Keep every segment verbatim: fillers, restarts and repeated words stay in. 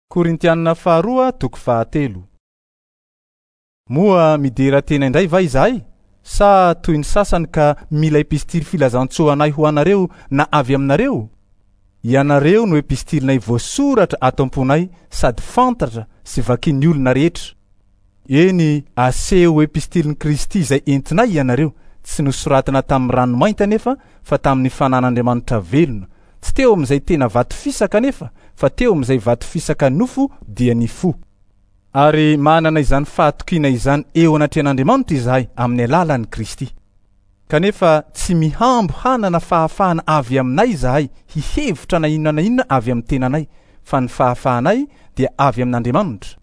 Korintianina faharoa toko fahatelo. Moa midera tena indray va izahay? Sa toy ny sasany ka mila epistily filazantsoa anay ho anareo na avy aminareo? Ianareo no epistilinay voasoratra ato am-ponay sady fantatra sy vakin'ny olona rehetra. Eny, aseho epistilin'i Kristy izay entinay ianareo, tsy nosoratana tamin'ny ranomainty anefa fa tamin'ny fanan'Andriamanitra velona, tsy teo amin'izay tena vato fisaka anefa fa teo amin'izay vato fisaka nofo dia ny fo. Ary manana izany fahatokiana izany eo anatrehan'Andriamanitra izahay amin'ny alalan'i Kristy. Kanefa tsy mihambo hanana fahafahana avy aminay izahay hihevitra na inona na inona avy amin'ny tenanay, fa ny fahafahanay dia avy amin'Andriamanitra,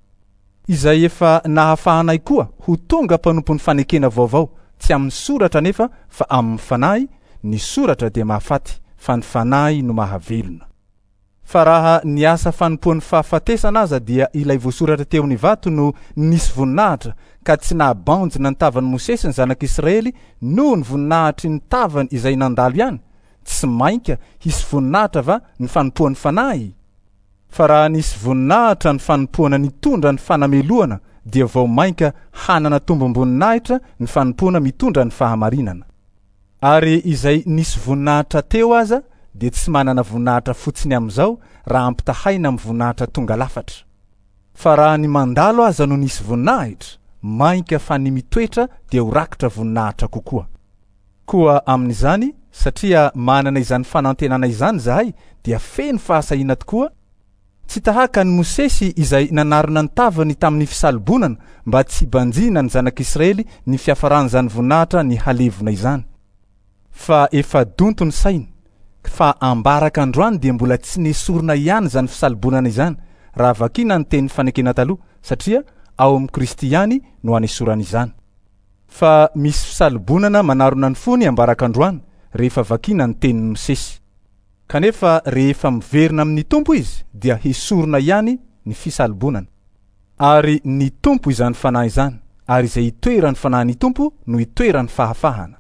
izay efa nahafahanay koa ho tonga mpanompon'ny fanekena vaovao, tsy amin'ny soratra anefa fa amin'ny fanahy. Ny soratra dia mahafaty, fa ny fanahy no mahavelona. Fa raha ny asa fanompoan'ny fahafatesana aza dia ilay voasoratra teo amin'ny vato no nisy voninahitra, ka tsy nahabanjina ny tavan'i Mosesy ny zanak'Israely noho ny voninahitry ny tavany izay nandalo ihany, tsy mainka hisy voninahitra va ny fanompoan'ny fanahy? Fa raha nisy voninahitra ny fanompoana nitondra ny fanamelohana, dia vao mainka hanana tombom-boninahitra ny fanompoana mitondra ny fahamarinana. Ary izay nisy voninahitra teo aza dia tsy manana voninahitra fotsiny amin'izao raha ampitahaina amin'ny voninahitra tonga lafatra. Fa raha ny mandalo aza no nisy voninahitra, mainka fa ny mitoetra dia ho rakitra voninahitra kokoa. Koa amin'izany, satria manana izany fanantenana izany izahay, dia feno fahasahiana tokoa, tsy tahaka ny Mosesy izay nanarona ny tavany tamin'ny fisalobonana mba tsy hibanjina ny zanak'Israely ny fiafaran'izany voninahitra ny halevona izany. Fa efa donto ny sainy, fa ambaraka androany dia mbola tsy nesorina ihany izany fisalobonana izany raha vakina ny tenin'ny fanekena taloha, satria ao amin'i Kristy ihany no anesorana izany. Fa misy fisalobonana manarona ny fony ambaraka androany rehefa vakina ny tenin'i Mosesy. Kanefa rehefa miverina amin'ny Tompo izy dia hesorina ihany ny fisalobonana. Ary ny Tompo izany fanahy izany, ary izay itoeran'ny fanahin'ny Tompo no itoeran'ny fahafahana.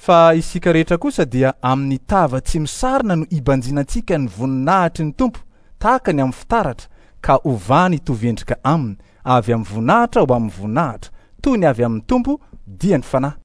Fa isika rehetra kosa dia amin'ny tava tsy misarona no ibanjinantsika ny voninahitry ny Tompo, tahaka ny amin'ny fitaratra, ka ovany hitovy endrika aminy, avy amin'ny voninahitra ho amin'ny voninahitra, toy ny avy amin'ny Tompo dia ny fanahy.